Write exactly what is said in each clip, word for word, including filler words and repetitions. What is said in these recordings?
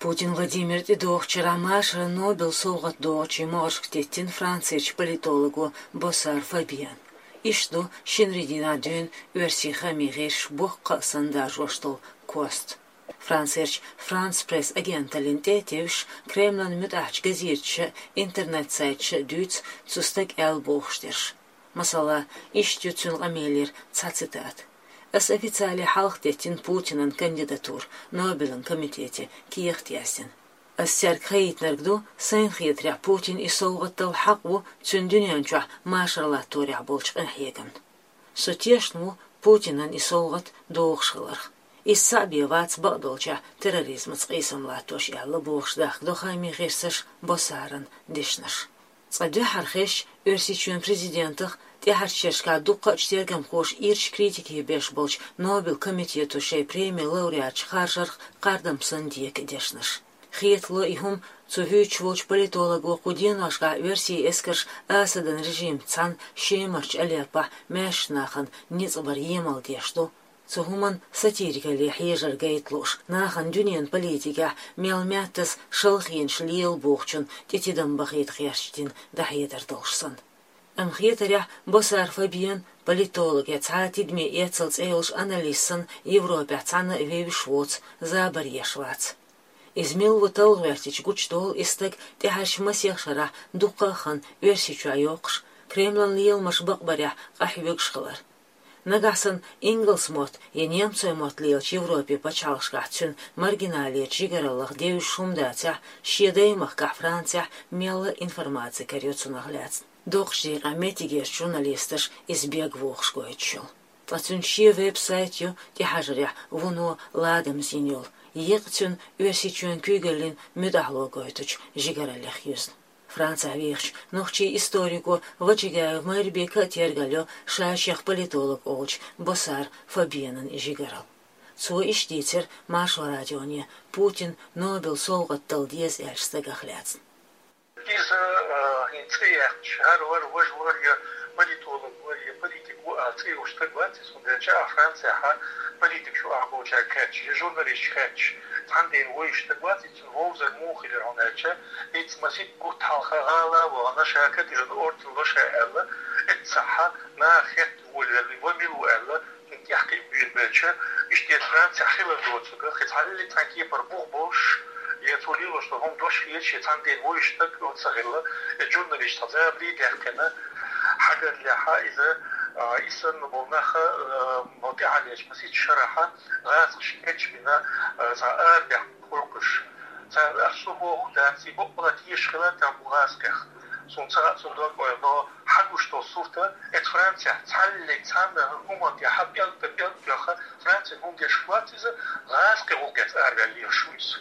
Путин Владимир тӀедогӀучу шарахь машаран Нобелан совгӀат догӀучийн могӀаршка теттина Францерчу политолого Боссар Фабиана. Иштта ду шинарин дийнахь дуьйна оьрсийн хаамийн гӀирсаша боккха а санна даржош долу кост. Францерчу Франс Пресс агенталлина тӀе а тевжаш, Кремлан муьтӀахьчу газеташа а, интернет-сайташа а дуьйцу цу стага аьлла бохуш дерш. Масала, иштта ю цуьнан къамелера цхьа цитата: «Ас официале хьалха теттина Путинан кандидатура Нобелан комитете кехат яздина. Ас цаьрга хаийтинарг ду, сайн хетарехь, Путина и совгӀат дала хьакъ ву цуьнан дуьнен чохь машар латторехь болчу къинхьегамна. Со тешна ву Путинан и совгӀат догӀуш хиларх. Иза цхьаъ бен вац бакъдолчехь терроризмаца къийсам латтош», — аьлла, бохуш дахка до хаамийн гӀирсаша Боссаран дешнаш. Цкъа дуьххьара хезча, Оьрсийчоьнан президентах, тӀаьхьарчу шерашкахь дуккха а тергамхоша ирча критике беш болчу Нобелан комитето шайн премин лауреаташ харжарх кхардам санна дека дешнаш. Хетало и хӀума цу вуьйцуш волчу политолого кху деношкахь оьрсийн эскарша Асадан режимца цхьаьна Шемарчу Алеппохь маьршачу нахана ницкъ баран емал деш ду, цу хӀуманна сатирикалле хьежар гайта лууш, нахана дуьненан политикехь мел маьттаза шалхонаш лела бохучунна тӀе тидам бахийта гӀерташ дина дӀахьедар долуш санна. Амма хетарехь, Боссар Фабиан, политолог я цхьа а тидаме эцал цӀе йолуш аналист санна, Европехь цхьанна а вевзаш воцу, забар еш вац. Иза мила ву талла гӀоьртича гучудолу и стаг тӀаьхьарчу масех шарахь дуккха а хан Оьрсийчохь йоккхуш, Кремлан леламаш бакъбарехь къахьоьгуш хилар. Нагахь санна ингалс мотт я немцойн мотт лелачу Европин пачхьалкхашкахь цуьнан маргиналечу жигараллах девзаш хӀума дацахь, шен даймахкахь Францехь мелла а информаци карайо цунах лаьцна. Доккхачу декъехь меттигерчу журналисташа иза бегвохуш гойтуш йолу. Ткъа цуьнан шен веб-сайт ю тӀехьажарехь вуно ладамза йина йолу, екъа цуьнан Оьрсийчоьнан куьйгаллин муьтӀахьло гойтучу жигараллех юьзна. Францехь вехачу нохчийн историко Вачагаев Майрбека а тергалйо ша-шех политолог олучу Боссар Фабианан и жигаралла. Цо иштта дийцира Маршо радионе Путина Нобелан совгӀат дала деза аьллачу стагах лаьцна. Иза, а, хӀинца цӀе яьккхича, хӀара вара, важа вара, я политолог вара, я политик ву аьлла цӀе йолуш стаг вац иза, хӀунда аьлча а Францехь политикаш ю ахь бохучаьрга хаьттича, я журналисташка хаьттича, цхьана дена вевзаш стаг вац иза, цуьнан вовзар муха хилира, хӀунда аьлча, иза масийтта бутт хьалха гӀала а вахана, ша кадиран орден ло ша аьлла, эццахь наха хетта волавелла, ва мила ву аьлла, цуьнан тӀехь кхиа буьйлабелча, иштта Францехь хилар доцург, кхин цхьа лилли цхьана кепара бух болуш, я цо лелош долу хӀума дош хеташ, я цхьана дена вуьйш стаг оцу ца хилла, я журналист цхьа забаре даьккхина, хьагараллехь иза, а, и санна болу нах, а, бо тӀаьхьарлечу масийтта шарахь гӀазкхаша кечбина, а, цхьа арабехк кхойкхуш. Цара ас шу бохург дац, и бакъала теша хилар тхан бу гӀазкхех. Суна ца хаьа цуьнан дог ойла, но хьагуш долу сурт, эцу Францехь цхьаллиг цхьанна хӀуманна тӀехь пӀелг-пӀелг тоьхна, Францин хӀума деш вац иза, гӀазкхи гӀуллакхца араваьлла лелаш ву иза.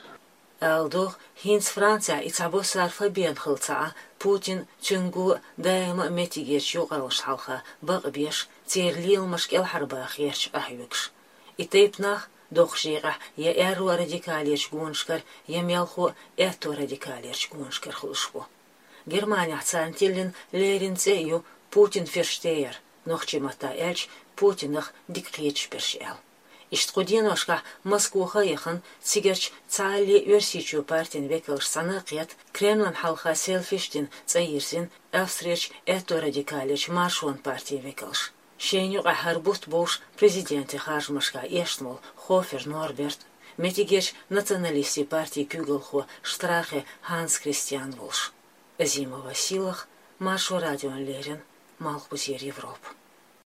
Ала догӀу, хӀинца Францехь и цхьа Боссар Фабиан хилла ца Ӏа, Путин цуьнга даима а меттигерчу юкъараллашна хьалха бакъбеш, церан леламаш кӀелхьарбаха гӀерташ къахьоьгуш. И тайпа нах, доккхачу декъехь, я аьрру радикалечу гонашкара, я мелхо а аьтто радикалерчу гонашкара хуьлуш бу. Германехь царна тиллина леррина цӀе а ю Путин-ферштейер, нохчийн маттахь аьлча, Путинах дика кхеташ берш аьлла. Иштта кху деношкахь Москвахь а яхана, цигарчу цхьалле Оьрсийчоь партин векалш цхьаьна а кхетта, Кремлан хьалха селфиш дина цӀа йирзина Австрерчу аьтто радикалечу Маршонан партин векалш. Шайна юкъахь хӀара бутт бовш президентийн харжамашкахь эшна волу Хофер Норберт, меттигерчу националистийн партин куьйгалхо Штрахе Ханс Кристиан волуш. Азимова Силах, Маршо радиона леррина, Малхбузера Европа.